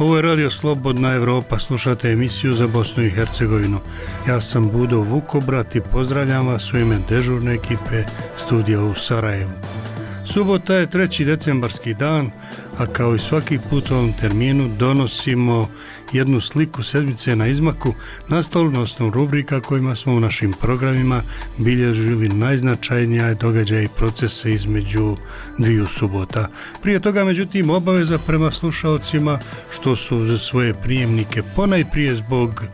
Ovo je Radio Slobodna Evropa, slušate emisiju za Bosnu i Hercegovinu. Ja sam Budo Vukobrat i pozdravljam vas u ime dežurne ekipe studija u Sarajevu. Subota je 3. decembarski dan, a kao i svaki put u ovom terminu donosimo jednu sliku sedmice na izmaku, nastalu na osnovu rubrika kojima smo u našim programima bilježili najznačajnija događaje i procese između dviju subota. Prije toga, međutim, obaveza prema slušalcima što su za svoje prijemnike ponajprije zbog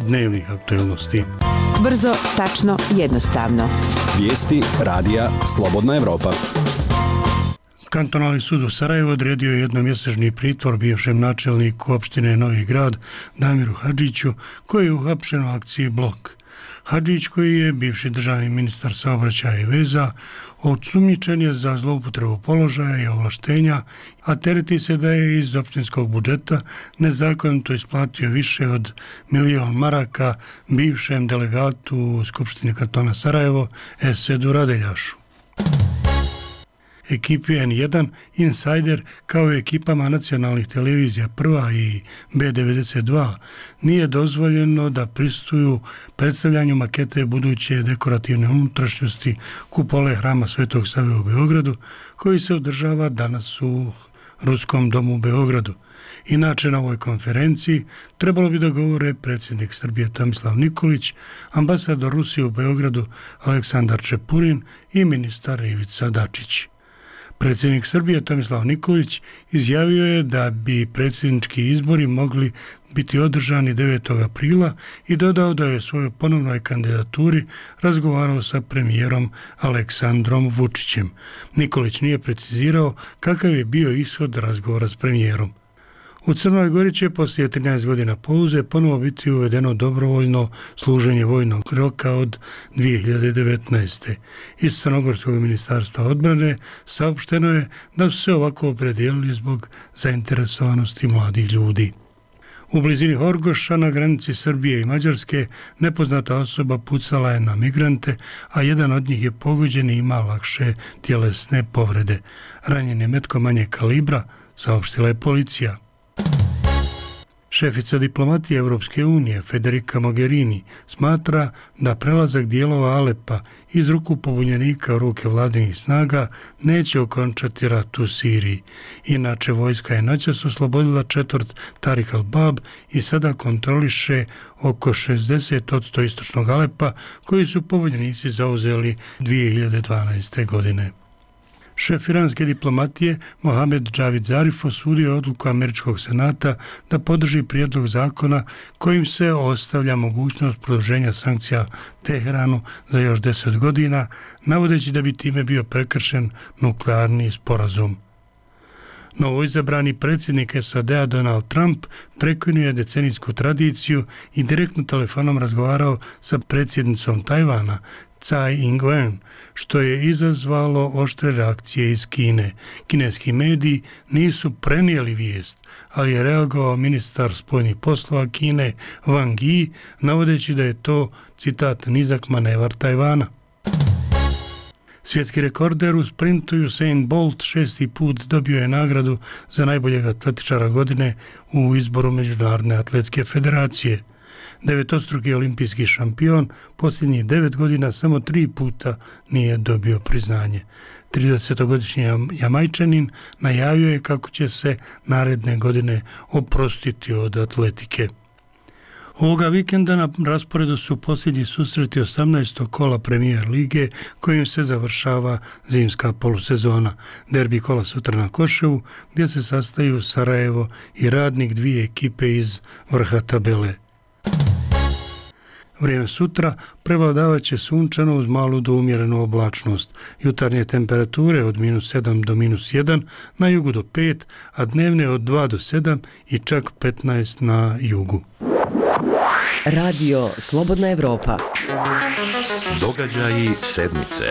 dnevnih aktualnosti. Brzo, tačno, jednostavno. Vijesti radija Slobodna Evropa. Kantonalni sud u Sarajevu odredio je jednomjesečni pritvor bivšem načelniku opštine Novi Grad Damiru Hadžiću, koji je uhapšen u akciji Blok. Hadžić, koji je bivši državni ministar saobraćaja i veza, osumnjičen je za zloupotrebu položaja i ovlaštenja, a tereti se da je iz opštinskog budžeta nezakonito isplatio više od 1.000.000 maraka bivšem delegatu u Skupštini kantona Sarajevo Esedu Radeljašu. Ekipi N1, Insider, kao i ekipama nacionalnih televizija Prva i B92 nije dozvoljeno da pristuju predstavljanju makete buduće dekorativne unutrašnjosti kupole hrama Svetog Save u Beogradu, koji se održava danas u Ruskom domu u Beogradu. Inače, na ovoj konferenciji trebalo bi da govore predsjednik Srbije Tomislav Nikolić, ambasador Rusije u Beogradu Aleksandar Čepurin i ministar Ivica Dačić. Predsjednik Srbije Tomislav Nikolić izjavio je da bi predsjednički izbori mogli biti održani 9. aprila i dodao da je svojoj ponovnoj kandidaturi razgovarao sa premijerom Aleksandrom Vučićem. Nikolić nije precizirao kakav je bio ishod razgovora s premijerom. U Crnoj Gori će poslije 13 godina pauze ponovo biti uvedeno dobrovoljno služenje vojnog roka od 2019. Iz Crnogorskog ministarstva odbrane saopšteno je da su se ovako opredijelili zbog zainteresovanosti mladih ljudi. U blizini Horgoša na granici Srbije i Mađarske nepoznata osoba pucala je na migrante, a jedan od njih je pogođen i ima lakše tjelesne povrede. Ranjen je metkom manjeg kalibra, saopštila je policija. Šefica diplomatije Evropske unije Federica Mogherini smatra da prelazak dijelova Alepa iz ruku pobunjenika u ruke vladinih snaga neće okončati rat u Siriji. Inače, vojska je noćas oslobodila četvrt Tarik al-Bab i sada kontroliše oko 60% istočnog Alepa koji su pobunjenici zauzeli 2012. godine. Šef iranske diplomatije Mohamed Javad Zarif osudio odluku američkog senata da podrži prijedlog zakona kojim se ostavlja mogućnost produženja sankcija Teheranu za još 10 godina, navodeći da bi time bio prekršen nuklearni sporazum. Novoizabrani predsjednik SAD-a Donald Trump prekinuo je decenijsku tradiciju i direktno telefonom razgovarao sa predsjednicom Tajvana Tsai Ing-wen, što je izazvalo oštre reakcije iz Kine. Kineski mediji nisu prenijeli vijest, ali je reagovao ministar spoljnih poslova Kine Wang Yi, navodeći da je to, citat, nizak manevar Tajvana. Svjetski rekorder u sprintu Usain Bolt 6. put dobio je nagradu za najboljeg atletičara godine u izboru Međunarodne atletske federacije. Devetostruki olimpijski šampion posljednjih 9 godina samo 3 puta nije dobio priznanje. 30-godišnji Jamajčanin najavio je kako će se naredne godine oprostiti od atletike. Ovoga vikenda na rasporedu su posljednji susreti 18. kola Premier lige kojim se završava zimska polusezona. Derbi kola sutra na Koševu gdje se sastaju Sarajevo i Radnik, dvije ekipe iz vrha tabele. Vrijeme sutra prevladavat će sunčano uz malu do umjerenu oblačnost. Jutarnje temperature od -7 do -1, na jugu do 5, a dnevne od 2 do 7 i čak 15 na jugu. Radio Slobodna Evropa. Događaji sedmice.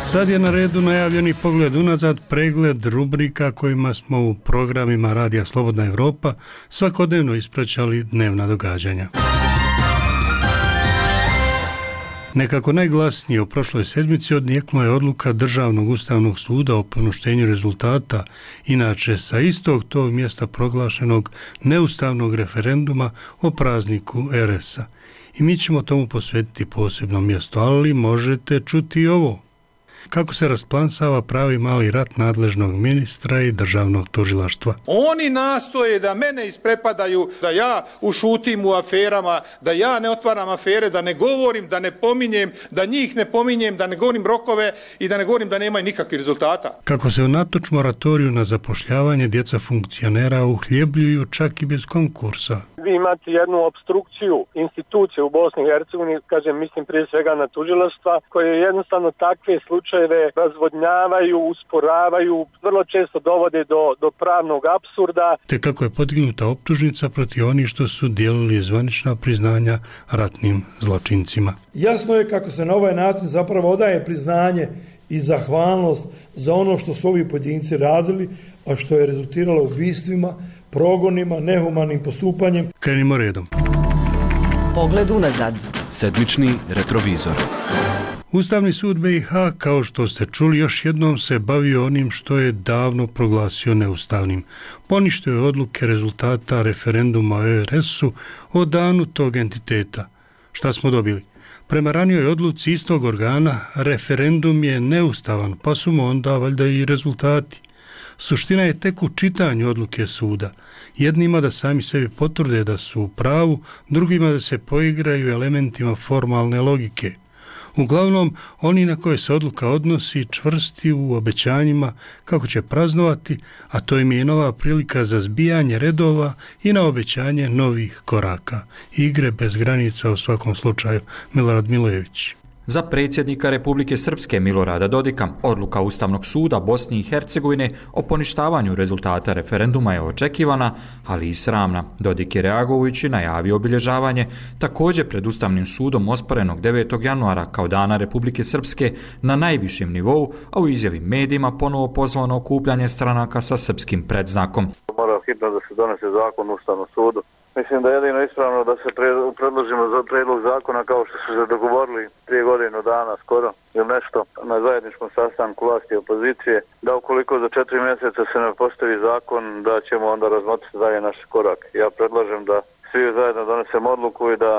Sad je na redu najavljeni pogled unazad, pregled rubrika kojima smo u programima Radija Slobodna Evropa svakodnevno ispraćali dnevna događanja. Nekako najglasnije u prošloj sedmici odnijekla je odluka Državnog ustavnog suda o poništenju rezultata, inače sa istog tog mjesta proglašenog neustavnog referenduma o prazniku RS-a. I mi ćemo tomu posvetiti posebno mjesto, ali možete čuti i ovo. Kako se rasplansava pravi mali rat nadležnog ministra i državnog tužilaštva. Oni nastoje da mene isprepadaju, da ja ušutim u aferama, da ja ne otvaram afere, da ne govorim, da ne pominjem, da njih ne pominjem, da ne govorim rokove i da ne govorim da nemaju nikakvih rezultata. Kako se unatoč moratoriju na zapošljavanje djeca funkcionera uhljebljuju čak i bez konkursa. Vi imate jednu opstrukciju institucije u Bosni i Hercegovini, kažem, mislim prije svega na tužilaštva, koje jednostavno takve slučajeve razvodnjavaju, usporavaju, vrlo često dovode do pravnog apsurda. Te kako je podignuta optužnica protiv onih što su dijelili zvanična priznanja ratnim zločincima. Jasno je kako se na ovaj način zapravo odaje priznanje i zahvalnost za ono što su ovi pojedinci radili, a što je rezultiralo ubistvima, progonima, nehumanim postupanjem. Krenimo redom. Pogled unazad. Sedmični retrovizor. Ustavni sud BiH, kao što ste čuli, još jednom se bavio onim što je davno proglasio neustavnim. Poništio je odluke rezultata referenduma o RS-u o danu tog entiteta. Šta smo dobili? Prema ranijoj odluci istog organa, referendum je neustavan, pa su mu onda valjda i rezultati. Suština je tek u čitanju odluke suda. Jednima da sami sebi potvrde da su u pravu, drugima da se poigraju elementima formalne logike. Uglavnom, oni na koje se odluka odnosi čvrsti u obećanjima kako će praznovati, a to im je nova prilika za zbijanje redova i na obećanje novih koraka. Igre bez granica u svakom slučaju. Milorad Milojević. Za predsjednika Republike Srpske Milorada Dodika, odluka Ustavnog suda Bosne i Hercegovine o poništavanju rezultata referenduma je očekivana, ali i sramna. Dodik je reagujući najavio obilježavanje također pred Ustavnim sudom osporenog 9. januara kao dana Republike Srpske na najvišem nivou, a u izjavi medijima ponovo pozvano okupljanje stranaka sa srpskim predznakom. Mora hitno da se donese zakon u Ustavnom sudu. Mislim da je jedino ispravno da se predložimo za predlog zakona kao što su se dogovorili 3 godine dana skoro ili nešto na zajedničkom sastanku vlasti i opozicije, da ukoliko za 4 mjeseca se ne postavi zakon, da ćemo onda razmotriti dalje naš korak. Ja predlažem da svi zajedno donesemo odluku i da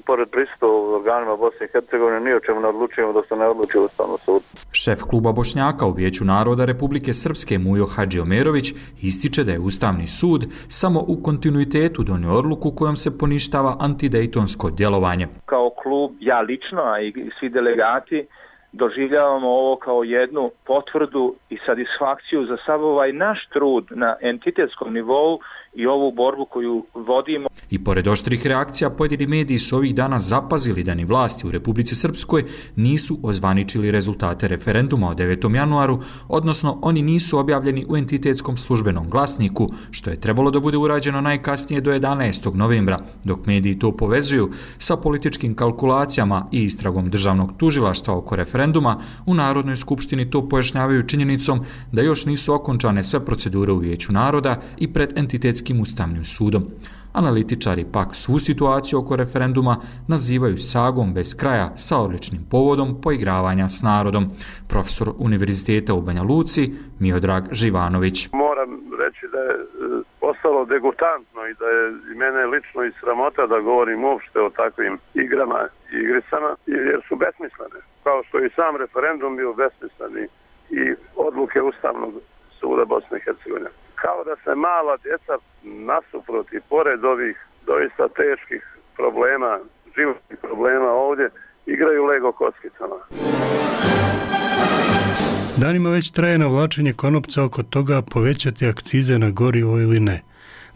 pored prisustva u organima Bosne i Hercegovine ni o čemu ne odlučujemo dok se ne odluči Ustavnom sudu. Šef kluba Bošnjaka u Vijeću naroda Republike Srpske Mujo Hadžiomerović ističe da je Ustavni sud samo u kontinuitetu donio odluku kojom se poništava antidejtonsko djelovanje. Kao klub, ja lično, a i svi delegati, doživljavamo ovo kao jednu potvrdu i satisfakciju za sav ovaj naš trud na entitetskom nivou i ovu borbu koju vodimo. I pored oštrih reakcija, pojedini mediji su ovih dana zapazili da ni vlasti u Republici Srpskoj nisu ozvaničili rezultate referenduma o 9. januaru, odnosno oni nisu objavljeni u entitetskom službenom glasniku, što je trebalo da bude urađeno najkasnije do 11. novembra, dok mediji to povezuju sa političkim kalkulacijama i istragom državnog tužilaštva oko referenduma. U Narodnoj skupštini to pojašnjavaju činjenicom da još nisu okončane sve procedure u Vijeću naroda i pred entitetskim Ustavnim sudom. Analitičari pak svu situaciju oko referenduma nazivaju sagom bez kraja sa odličnim povodom poigravanja s narodom. Profesor Univerziteta u Banja Luci, Miodrag Živanović. Moram reći da je postalo degutantno i da je i mene lično i sramota da govorim uopšte o takvim igrama i igricama, jer su besmislene. Kao što i sam referendum bio besmisleni i odluke Ustavnog suda Bosne i Hercegovine. Kao da se mala djeca nasuprot i pored ovih doista teških problema, životnih problema ovdje, igraju Lego kockicama. Danima već traje navlačenje konopca oko toga povećati akcize na gorivo ili ne.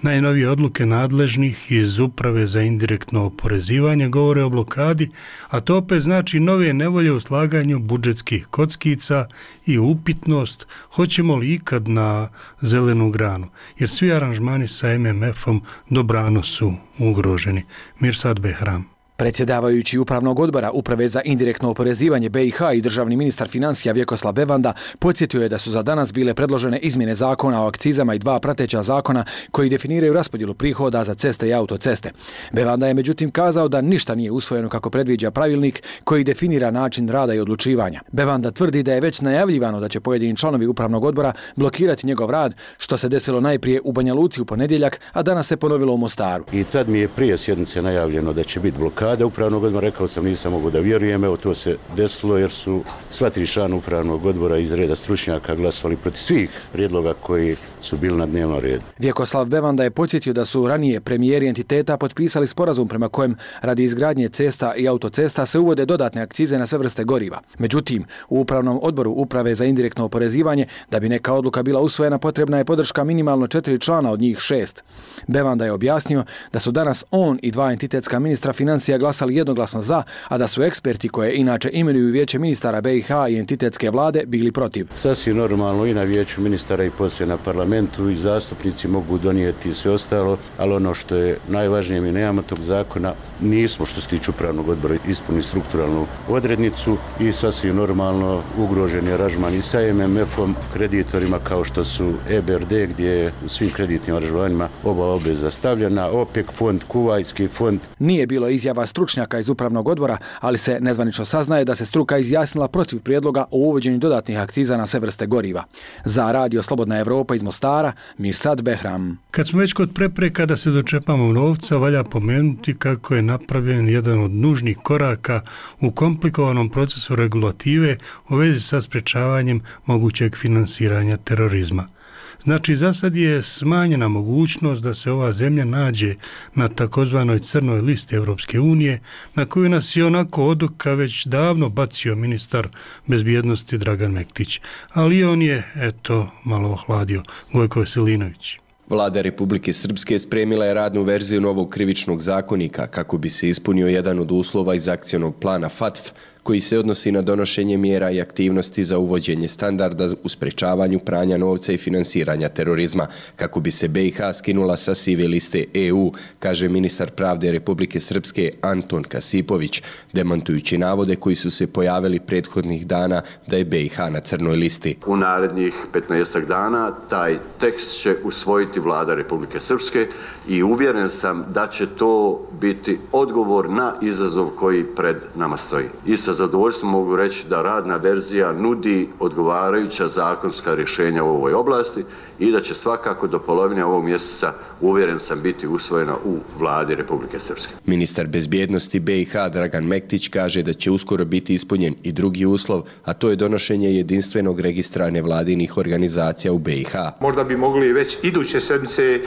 Najnovije odluke nadležnih iz Uprave za indirektno oporezivanje govore o blokadi, a to opet znači nove nevolje u slaganju budžetskih kockica i upitnost hoćemo li ikad na zelenu granu, jer svi aranžmani sa MMF-om dobrano su ugroženi. Mirsad Behram. Predsjedavajući Upravnog odbora Uprave za indirektno oporezivanje BiH i državni ministar financija Vjekoslav Bevanda podsjetio je da su za danas bile predložene izmjene zakona o akcizama i 2 prateća zakona koji definiraju raspodjelu prihoda za ceste i autoceste. Bevanda je međutim kazao da ništa nije usvojeno kako predviđa pravilnik koji definira način rada i odlučivanja. Bevanda tvrdi da je već najavljivano da će pojedini članovi Upravnog odbora blokirati njegov rad, što se desilo najprije u Banja Luci u ponedjeljak, a danas se ponovilo u Mostaru. I tad mi je prije sjednice najavljeno da će biti blokada Upravnog odbora, rekao sam nisam mogu da vjerujem, evo to se desilo jer su sva 3 člana Upravnog odbora iz reda stručnjaka glasovali protiv svih prijedloga koji su bili na dnevnom redu. Vjekoslav Bevanda je podsjetio da su ranije premijeri entiteta potpisali sporazum prema kojem radi izgradnje cesta i autocesta se uvode dodatne akcize na sve vrste goriva. Međutim, u Upravnom odboru Uprave za indirektno oporezivanje, da bi neka odluka bila usvojena, potrebna je podrška minimalno 4 člana od njih 6. Bevanda je objasnio da su danas on i 2 entitetska ministra financija glasali jednoglasno za, a da su eksperti koje inače imenuju Vijeće ministara BiH i entitetske vlade bili protiv. Sasvim normalno i na Vijeću ministara i poslije na parlamentu i zastupnici mogu donijeti sve ostalo, ali ono što je najvažnije, mi nemamo tog zakona, nismo što se tiče Upravnog odbora ispunili strukturalnu odrednicu i sasvim normalno ugrožen je aranžman i sa MMF-om, kreditorima kao što su EBRD gdje je u svim kreditnim aranžmanima oba obveza stavljena, OPEC fond, Kuvajski fond. Nije bilo izjava stručnjaka iz Upravnog odbora, ali se nezvanično saznaje da se struka izjasnila protiv prijedloga o uvođenju dodatnih akciza na sve vrste goriva. Za Radio Slobodna Evropa iz Mostara, Mirsad Behram. Kad smo već kod prepreka da se dočepamo novca, valja pomenuti kako je napravljen jedan od nužnih koraka u komplikovanom procesu regulative u vezi sa sprečavanjem mogućeg finansiranja terorizma. Znači, za sad je smanjena mogućnost da se ova zemlja nađe na takozvanoj crnoj listi Europske unije, na koju nas je onako od oka već davno bacio ministar bezbjednosti Dragan Mektić. Ali on je, eto, malo ohladio. Gojko Veselinović. Vlada Republike Srpske spremila je radnu verziju novog krivičnog zakonika kako bi se ispunio jedan od uslova iz akcionog plana FATF, koji se odnosi na donošenje mjera i aktivnosti za uvođenje standarda u sprečavanju pranja novca i finansiranja terorizma, kako bi se BiH skinula sa sive liste EU, kaže ministar pravde Republike Srpske Anton Kasipović, demantujući navode koji su se pojavili prethodnih dana da je BiH na crnoj listi. U narednih 15 dana taj tekst će usvojiti Vlada Republike Srpske i uvjeren sam da će to biti odgovor na izazov koji pred nama stoji. I sa zadovoljstvom mogu reći da radna verzija nudi odgovarajuća zakonska rješenja u ovoj oblasti i da će svakako do polovine ovog mjeseca, uvjeren sam, biti usvojena u Vladi Republike Srpske. Ministar bezbjednosti BiH Dragan Mektić kaže da će uskoro biti ispunjen i drugi uslov, a to je donošenje jedinstvenog registra nevladinih organizacija u BiH. Možda bi mogli već iduće sedmice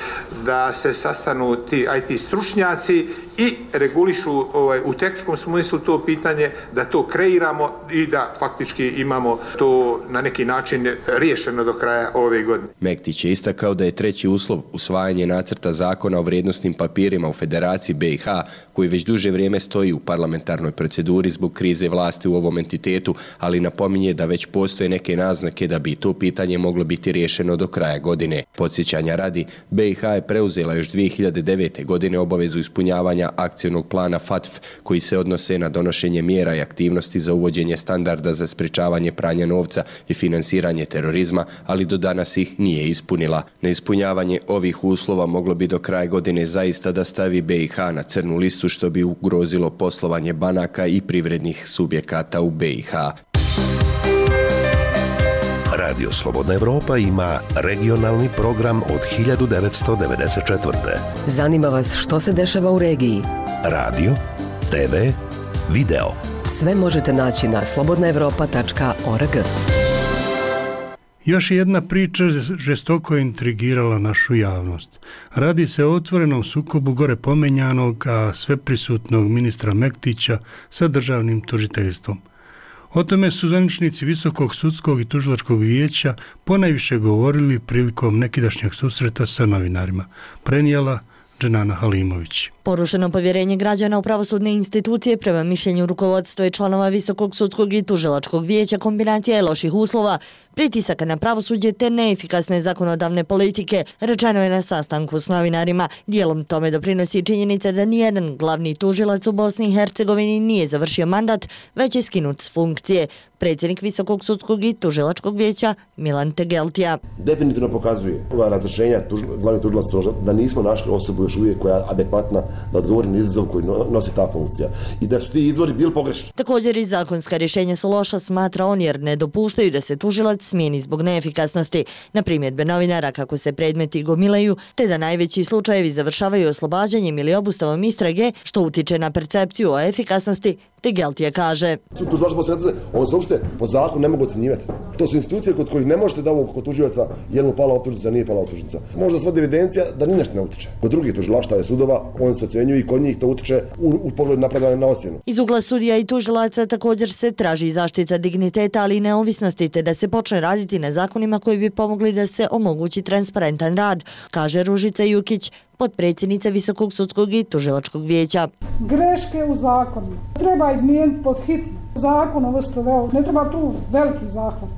da se sastanu ti IT stručnjaci i regulišu u tehničkom smislu to pitanje, da to kreiramo i da faktički imamo to na neki način riješeno do kraja ove godine. Mektić je istakao da je treći uslov usvajanje nacrta zakona o vrijednosnim papirima u Federaciji BiH, koji već duže vrijeme stoji u parlamentarnoj proceduri zbog krize vlasti u ovom entitetu, ali napominje da već postoje neke naznake da bi to pitanje moglo biti riješeno do kraja godine. Podsjećanja radi, BiH je preuzela još 2009. godine obavezu ispunjavanja akcionog plana FATF, koji se odnose na donošenje mjera i aktivnosti za uvođenje standarda za sprečavanje pranja novca i finansiranje terorizma, ali do danas ih nije ispunila. Neispunjavanje ovih uslova moglo bi do kraja godine zaista da stavi BiH na crnu listu, što bi ugrozilo poslovanje banaka i privrednih subjekata u BiH. Radio Slobodna Evropa ima regionalni program od 1994. Zanima vas što se dešava u regiji? Radio, TV, video. Sve možete naći na slobodnaevropa.org. Još jedna priča žestoko je intrigirala našu javnost. Radi se o otvorenom sukobu gore pomenjanog, a sveprisutnog ministra Mektića sa državnim tužiteljstvom. O tome su zvaničnici Visokog sudskog i tužilačkog vijeća ponajviše govorili prilikom nekidašnjeg susreta sa novinarima, prenijela Dženana Halimović. Porušeno povjerenje građana u pravosudne institucije prema mišljenju rukovodstva i članova Visokog sudskog i tužilačkog vijeća kombinacija je loših uslova, pritisaka na pravosuđe te neefikasne zakonodavne politike, rečeno je na sastanku s novinarima. Dijelom tome doprinosi činjenica da nijedan glavni tužilac u Bosni i Hercegovini nije završio mandat, već je skinut s funkcije. Predsjednik Visokog sudskog i tužilačkog vijeća Milan Tegeltija. Definitivno pokazuje ova razrješenja glavnih tužilaca da nismo našli osobu još uvijek koja je adekvatna da odgovori na izazov koji nosi ta funkcija i da su ti izvori bili pogrešni. Također i zakonska rješenja su loša, smatra on, jer ne dopuštaju da se tužilac smijeni zbog neefikasnosti, na primjedbe novinara kako se predmeti gomilaju, te da najveći slučajevi završavaju oslobađanjem ili obustavom istrage, što utiče na percepciju o efikasnosti, Tegeltija kaže. On se uopšte po zakonu ne mogu ocjenjivati. To su institucije kod kojih ne možete da ovo kod tužioca je li mu pala optužnica, nije pala optužnica. Možda svodi evidencija da ni nešto ne utiče. Kod drugih tužilaštava i sudova on se ocjenjuje i kod njih to utiče u pogledu napredovanja na ocjenu. Iz ugla sudija i tužilaca također se traži zaštita digniteta, ali i neovisnosti, te da se počne raditi na zakonima koji bi pomogli da se omogući transparentan rad, kaže Ružica Jukić, potpredsjednica Visokog sudskog i tužilačkog vijeća. Greške u zakonima treba izmijeniti pod hitno. Zakon o VSTV-u, ne treba tu veliki zahvat.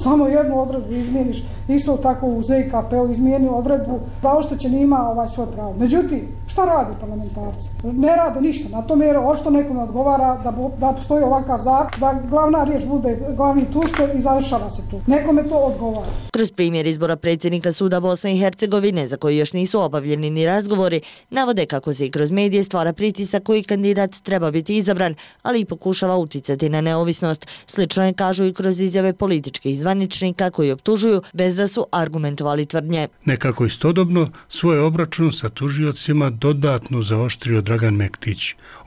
Samo jednu odredbu izmijeniš, isto tako u ZKP-u izmijeni odredbu da oštećen ima svoje pravo. Međutim, šta radi parlamentarci? Ne rade ništa. Na tom jer ošto nekome odgovara da postoji ovakav zakon, da glavna riječ bude glavni tužitelj i završava se tu. Nekome to odgovara. Kroz primjer izbora predsjednika suda Bosne i Hercegovine, za koji još nisu obavljeni ni razgovori, navode kako se i kroz medije stvara pritisak koji kandidat treba biti izabran, ali i pokušava uticati na neovisnost. Slično je kažu i kroz izjave političkih zvaničnika koji optužuju bez da su argumentovali tvrdnje. Nekako istodobno svoj obračun sa tužiocima dodatno zaoštrio Dragan Mektić,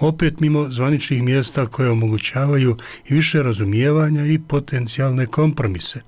opet mimo zvaničnih mjesta koje omogućavaju i više razumijevanja i potencijalne kompromise.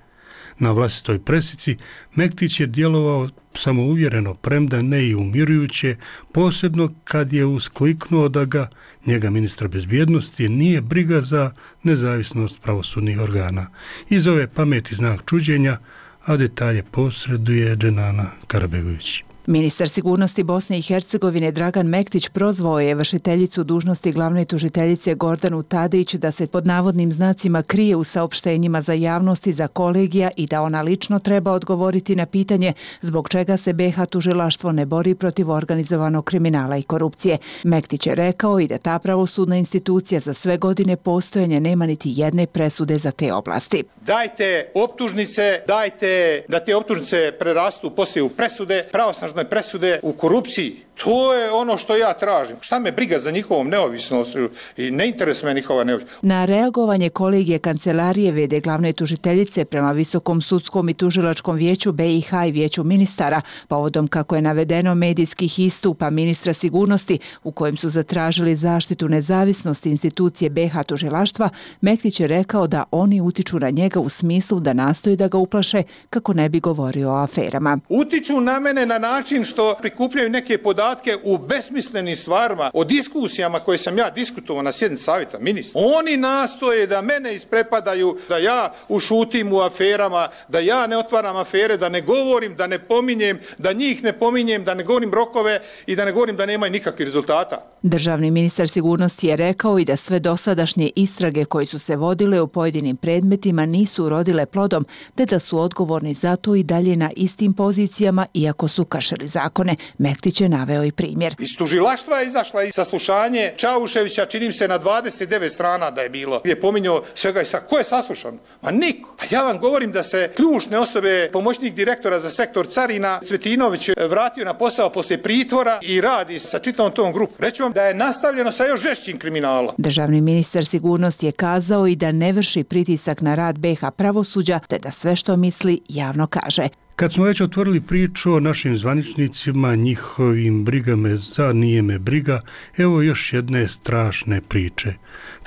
Na vlastitoj presici Mektić je djelovao samouvjereno, premda ne i umirujuće, posebno kad je uskliknuo da ga, njega ministra bezbjednosti, nije briga za nezavisnost pravosudnih organa. Iz ove pameti znak čuđenja, a detalje posreduje Dženana Karabegović. Ministar sigurnosti Bosne i Hercegovine Dragan Mektić prozvao je vršiteljicu dužnosti glavne tužiteljice Gordanu Tadić da se pod navodnim znacima krije u saopštenjima za javnosti za kolegija i da ona lično treba odgovoriti na pitanje zbog čega se BiH tužilaštvo ne bori protiv organizovanog kriminala i korupcije. Mektić je rekao i da ta pravosudna institucija za sve godine postojanja nema niti jedne presude za te oblasti. Dajte optužnice, dajte da te optužnice prerastu poslije u presude, pravosnažne presude u korupciji. To je ono što ja tražim. Šta me briga za njihovom neovisnošću i ne interesuje me njihova neovisnost. Na reagovanje kolegije kancelarije v.d. glavne tužiteljice prema Visokom sudskom i tužilačkom vijeću BiH i vijeću ministara, povodom kako je navedeno medijskih istupa ministra sigurnosti u kojem su zatražili zaštitu nezavisnosti institucije BiH tužilaštva, Mektić je rekao da oni utiču na njega u smislu da nastoji da ga uplaše kako ne bi govorio o aferama. Utiču na mene na način što prikupljaju neke podatke u besmislenim stvarima, o diskusijama koje sam ja diskutovao na sjednici savjeta ministra. Oni nastoje da mene isprepadaju, da ja ušutim u aferama, da ja ne otvaram afere, da ne govorim, da ne pominjem, da njih ne pominjem, da ne govorim rokove i da ne govorim da nemaju nikakvih rezultata. Državni ministar sigurnosti je rekao i da sve dosadašnje istrage koje su se vodile u pojedinim predmetima nisu urodile plodom, te da su odgovorni za to i dalje na istim pozicijama iako su kršili zakone. Mektić je naveo i primjer. Iz tužilaštva je izašla i saslušanje Čauševića, čini se na 29 strana da je bilo. Je pominjao svega i ko je saslušan? Ma niko. Pa ja vam govorim da se ključne osobe, pomoćnik direktora za sektor carina Cvetinović vratio na posao poslije pritvora i radi sa čitavom tom grupom. Reći vam da je nastavljeno sa još žešćim kriminalom. Državni ministar sigurnosti je kazao i da ne vrši pritisak na rad BiH pravosuđa, te da sve što misli javno kaže. Kad smo već otvorili priču o našim zvaničnicima, njihovim brigama za nije me briga, evo još jedne strašne priče.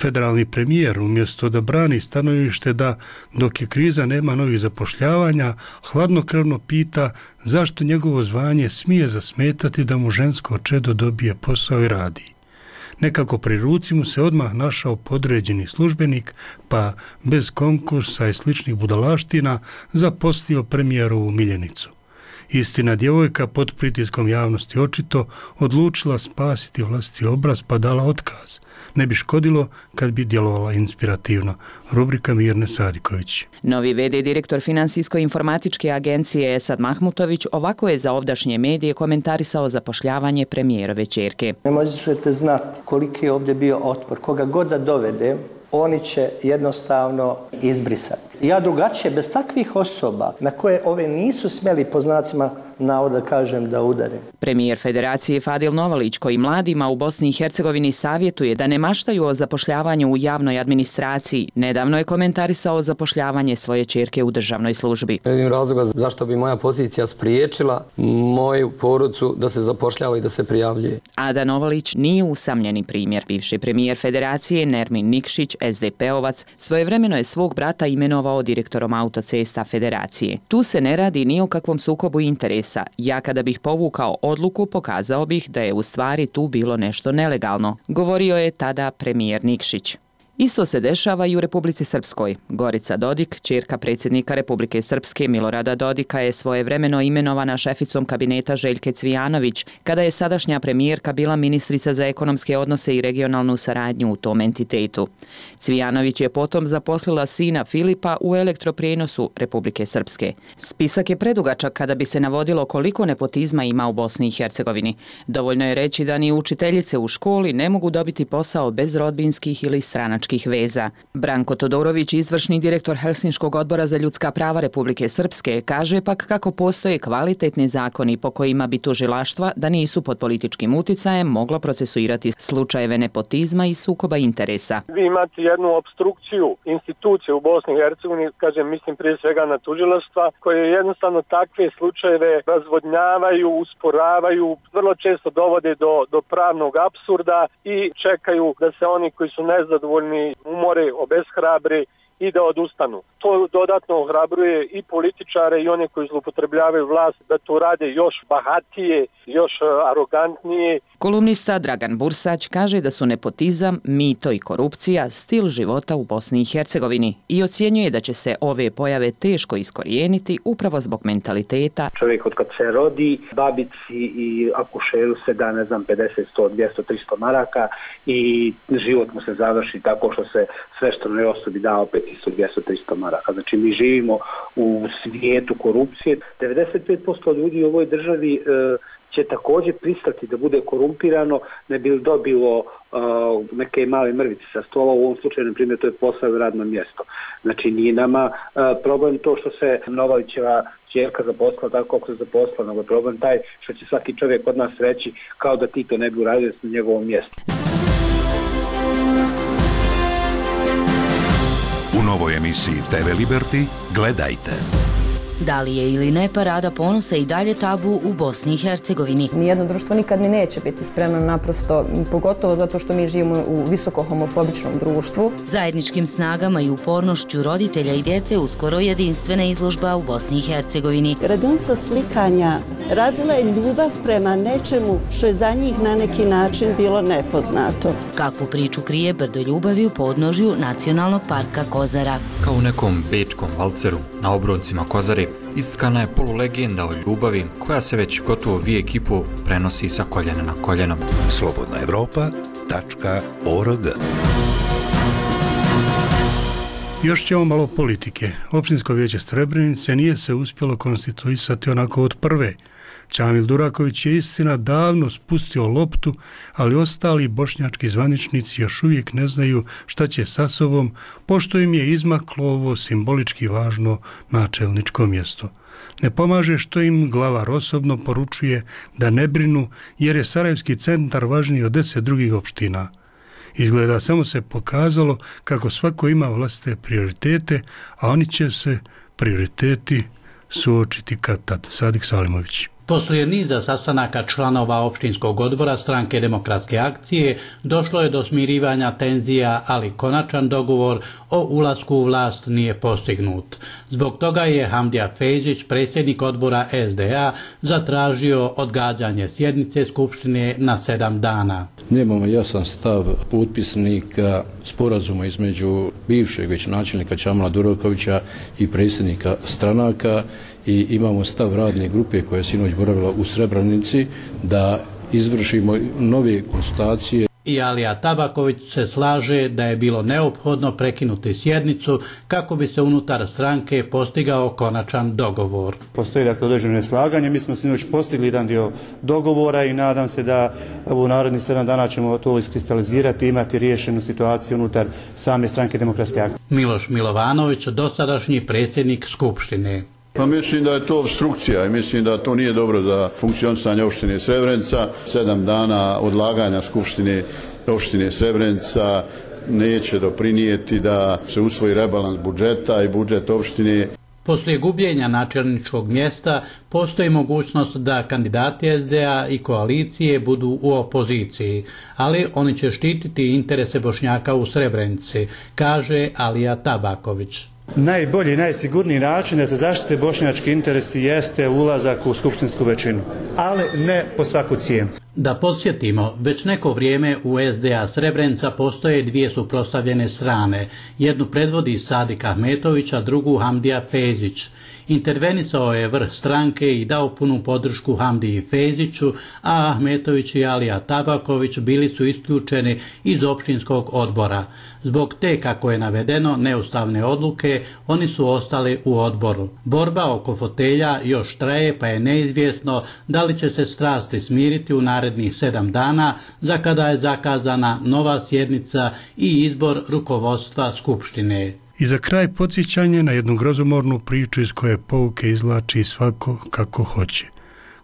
Federalni premijer, umjesto da brani stanovište da dok je kriza nema novih zapošljavanja, hladnokrvno pita zašto njegovo zvanje smije zasmetati da mu žensko čedo dobije posao i radi. Nekako pri ruci mu se odmah našao podređeni službenik, pa bez konkursa i sličnih budalaština zaposlio premijerovu miljenicu. Istina, djevojka pod pritiskom javnosti očito odlučila spasiti vlastiti obraz pa dala otkaz. Ne bi škodilo kad bi djelovala inspirativno. Rubrika Mirne Sadiković. Novi v.d. direktor Finansijsko-informatičke agencije Esad Mahmutović ovako je za ovdašnje medije komentarisao zapošljavanje premijerove ćerke. Ne možete znati koliki je ovdje bio otpor. Koga god da dovede, oni će jednostavno izbrisati. Ja drugačije, bez takvih osoba na koje ove nisu smjeli po znacima navoda kažem da udare. Premijer Federacije Fadil Novalić, koji mladima u Bosni i Hercegovini savjetuje da ne maštaju o zapošljavanju u javnoj administraciji, nedavno je komentarisao zapošljavanje svoje ćerke u državnoj službi. Ne vidim razloga zašto bi moja pozicija spriječila moju porodicu da se zapošljava i da se prijavljuje. Ada Novalić nije usamljeni primjer. Bivši premijer Federacije Nermin Nikšić, SDP-ovac, svojevremeno je svog brata imenovao direktorom autocesta Federacije. Tu se ne radi ni o kakvom sukobu interesa. Ja kada bih povukao odluku, pokazao bih da je u stvari tu bilo nešto nelegalno, govorio je tada premijer Nikšić. Isto se dešava i u Republici Srpskoj. Gorica Dodik, ćerka predsjednika Republike Srpske Milorada Dodika, je svojevremeno imenovana šeficom kabineta Željke Cvijanović, kada je sadašnja premijerka bila ministrica za ekonomske odnose i regionalnu saradnju u tom entitetu. Cvijanović je potom zaposlila sina Filipa u elektroprijenosu Republike Srpske. Spisak je predugačak kada bi se navodilo koliko nepotizma ima u Bosni i Hercegovini. Dovoljno je reći da ni učiteljice u školi ne mogu dobiti posao bez rodbinskih ili stranačkih veza. Branko Todorović, izvršni direktor Helsinškog odbora za ljudska prava Republike Srpske, kaže pak kako postoje kvalitetni zakoni po kojima bi tužilaštva, da nisu pod političkim uticajem, moglo procesuirati slučajeve nepotizma i sukoba interesa. Vi imate jednu obstrukciju institucije u Bosni i Hercegovini, kažem, mislim prije svega na tužilaštva, koje jednostavno takve slučajeve razvodnjavaju, usporavaju, vrlo često dovode do pravnog apsurda i čekaju da se oni koji su nezadovoljni umore, obeshrabre i da odustanu. To dodatno ohrabruje i političare i one koji zloupotrebljavaju vlast da to rade još bahatije, još arogantnije. Kolumnista Dragan Bursać kaže da su nepotizam, mito i korupcija stil života u Bosni i Hercegovini i ocjenjuje da će se ove pojave teško iskorijeniti upravo zbog mentaliteta. Čovjek od kad se rodi, babici i akušeru se da, 50, 100, 200, 300 maraka i život mu se završi tako što se sveštenoj osobi da opet 200, 300 maraka. Znači mi živimo u svijetu korupcije. 95% ljudi u ovoj državi će također pristati da bude korumpirano, ne bi dobilo neke male mrvice sa stola, u ovom slučaju, na primjer, to je posao i radno mjesto. Znači nije nama problem to što se Novalićeva ćerka zaposlila tako kako se zaposlila, nego je problem taj što će svaki čovjek od nas reći kao da ti to ne bi uradio na njegovom mjestu. U novoj emisiji TV Liberty gledajte. Da li je ili ne parada ponosa i dalje tabu u Bosni i Hercegovini? Nijedno društvo nikad ni neće biti spremno, naprosto, pogotovo zato što mi živimo u visoko homofobičnom društvu. Zajedničkim snagama i upornošću roditelja i djece uskoro jedinstvena izložba u Bosni i Hercegovini. Radionica slikanja razvila je ljubav prema nečemu što je za njih na neki način bilo nepoznato. Kakvu priču krije brdo ljubavi u podnožju Nacionalnog parka Kozara? Kao u nekom bečkom valceru na obroncima Kozare istkana je polulegenda o ljubavi koja se već gotovo vijek i pol prenosi sa koljena na koljeno. slobodnaevropa.org. Još ćemo malo politike. Općinsko vijeće Srebrenice nije se uspjelo konstituisati onako od prve. Čamil Duraković je istina davno spustio loptu, ali ostali bošnjački zvaničnici još uvijek ne znaju šta će sa sobom, pošto im je izmaklo ovo simbolički važno načelničko mjesto. Ne pomaže što im glavar osobno poručuje da ne brinu, jer je Sarajevski centar važniji od 10 drugih opština. Izgleda samo se pokazalo kako svako ima vlastite prioritete, a oni će se prioriteti suočiti kad tad. Sadik Salimović. Poslije niza sastanaka članova opštinskog odbora Stranke demokratske akcije došlo je do smirivanja tenzija, ali konačan dogovor o ulasku u vlast nije postignut. Zbog toga je Hamdija Fejzić, predsjednik odbora SDA, zatražio odgađanje sjednice Skupštine na 7 dana. Nemamo jasan stav potpisnika sporazuma između bivšeg već načelnika Čamila Durakovića i predsjednika stranaka i imamo stav radne grupe koja je sinoć boravila u Srebrenici da izvršimo nove konsultacije. I Alija Tabaković se slaže da je bilo neophodno prekinuti sjednicu kako bi se unutar stranke postigao konačan dogovor. Postoji dakle određeno neslaganje, mi smo sinoć postigli jedan dio dogovora i nadam se da u narednih 7 dana ćemo to iskristalizirati i imati riješenu situaciju unutar same stranke Demokratske akcije. Miloš Milovanović, dosadašnji predsjednik Skupštine. Pa mislim da je to obstrukcija i mislim da to nije dobro za funkcionisanje opštine Srebrenica. 7 dana odlaganja Skupštine opštine Srebrenica neće doprinijeti da se usvoji rebalans budžeta i budžet opštine. Poslije gubljenja načelničkog mjesta postoji mogućnost da kandidati SDA i koalicije budu u opoziciji, ali oni će štititi interese Bošnjaka u Srebrenici, kaže Alija Tabaković. Najbolji i najsigurniji način da se zaštite bošnjački interesi jeste ulazak u skupštinsku većinu, ali ne po svaku cijenu. Da podsjetimo, već neko vrijeme u SDA Srebrenica postoje dvije suprotstavljene strane. Jednu predvodi Sadik Ahmetović, a drugu Hamdija Fezić. Intervenisao je vrh stranke i dao punu podršku Hamdiji Feziću, a Ahmetović i Alija Tabaković bili su isključeni iz općinskog odbora. Zbog te, kako je navedeno, neustavne odluke, oni su ostali u odboru. Borba oko fotelja još traje, pa je neizvjesno da li će se strasti smiriti u narednih 7 dana, za kada je zakazana nova sjednica i izbor rukovodstva Skupštine. I za kraj podsjećanje na jednu grozomornu priču iz koje pouke izvlači svako kako hoće.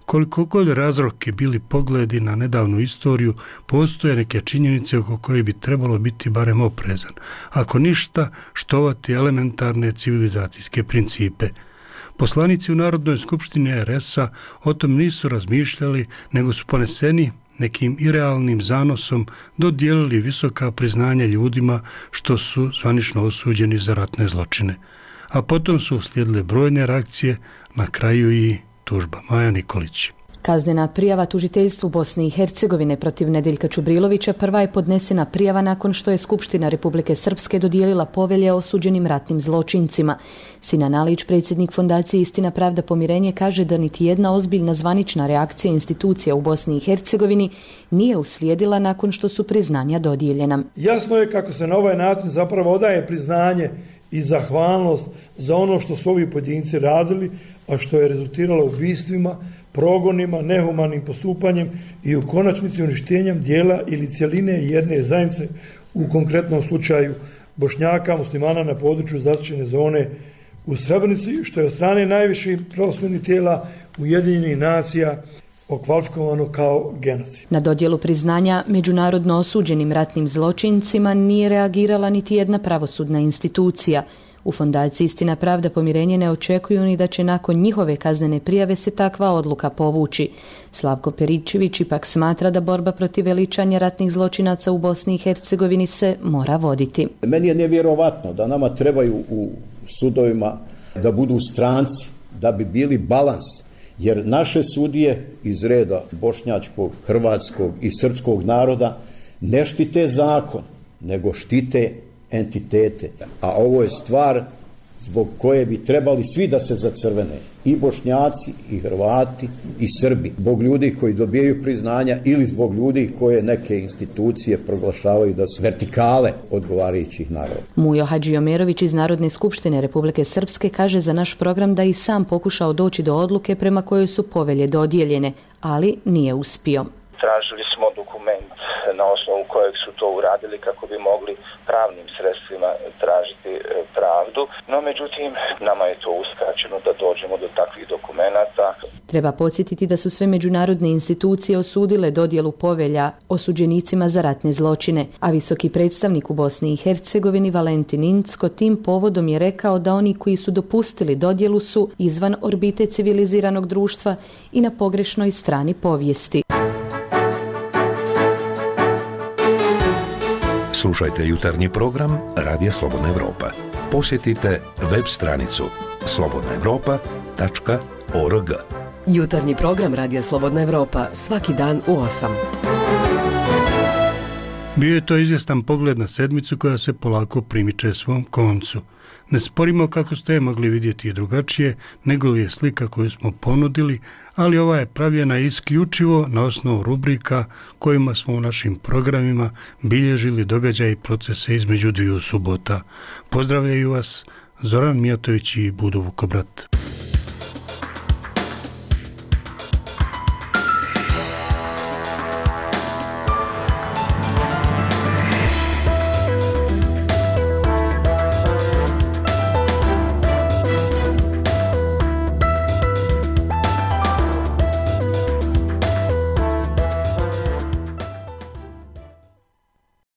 Koliko god razroki bili pogledi na nedavnu istoriju, postoje neke činjenice oko koje bi trebalo biti barem oprezan. Ako ništa, štovati elementarne civilizacijske principe. Poslanici u Narodnoj skupštini RS-a o tom nisu razmišljali, nego su poneseni nekim irealnim zanosom dodijelili visoka priznanja ljudima što su zvanično osuđeni za ratne zločine. A potom su uslijedile brojne reakcije, na kraju i tužba. Maja Nikolić. Kaznena prijava tužiteljstvu Bosne i Hercegovine protiv Nedeljka Čubrilovića prva je podnesena prijava nakon što je Skupština Republike Srpske dodijelila povelje o osuđenim ratnim zločincima. Sinan Alić, predsjednik Fondacije Istina, pravda, pomirenje, kaže da niti jedna ozbiljna zvanična reakcija institucija u Bosni i Hercegovini nije uslijedila nakon što su priznanja dodijeljena. Jasno je kako se na ovaj način zapravo odaje priznanje i zahvalnost za ono što su ovi pojedinci radili, a što je rezultiralo ubistvima, progonima, nehumanim postupanjem i u konačnici uništenjem dijela ili cjeline jedne zajednice, u konkretnom slučaju Bošnjaka, muslimana na području zaštićene zone u Srebrenici, što je od strane najviših pravosudnih tijela Ujedinjenih nacija okvalifikovano kao genocid. Na dodjelu priznanja međunarodno osuđenim ratnim zločincima nije reagirala niti jedna pravosudna institucija. U Fondaciji Istina, pravda, pomirenje ne očekuju ni da će nakon njihove kaznene prijave se takva odluka povući. Slavko Peričević ipak smatra da borba protiv veličanja ratnih zločinaca u Bosni i Hercegovini se mora voditi. Meni je nevjerovatno da nama trebaju u sudovima da budu stranci, da bi bili balans, jer naše sudije iz reda bošnjačkog, hrvatskog i srpskog naroda ne štite zakon, nego štite entitete. A ovo je stvar zbog koje bi trebali svi da se zacrvene. I Bošnjaci, i Hrvati, i Srbi. Zbog ljudi koji dobijaju priznanja ili zbog ljudi koje neke institucije proglašavaju da su vertikale odgovarajućih naroda. Mujo Hadžiomerović iz Narodne skupštine Republike Srpske kaže za naš program da i sam pokušao doći do odluke prema kojoj su povelje dodijeljene, ali nije uspio. Tražili smo dokument na osnovu kojeg su to uradili kako bi mogli pravnim sredstvima tražiti pravdu, no međutim nama je to uskraćeno da dođemo do takvih dokumenata. Treba podsjetiti da su sve međunarodne institucije osudile dodjelu povelja osuđenicima za ratne zločine, a visoki predstavnik u Bosni i Hercegovini Valentin Incko tim povodom je rekao da oni koji su dopustili dodjelu su izvan orbite civiliziranog društva i na pogrešnoj strani povijesti. Slušajte jutarnji program Radija Slobodna Evropa. Posjetite web stranicu slobodnaevropa.org. Jutarnji program Radija Slobodna Evropa svaki dan u 8. Bio je to izvjestan pogled na sedmicu koja se polako primiče svom koncu. Ne sporimo kako ste je mogli vidjeti i drugačije, nego li je slika koju smo ponudili, ali ova je pravljena isključivo na osnovu rubrika kojima smo u našim programima bilježili događaje i procese između dviju subota. Pozdravljaju vas Zoran Mijatović i Budo Vukobrat.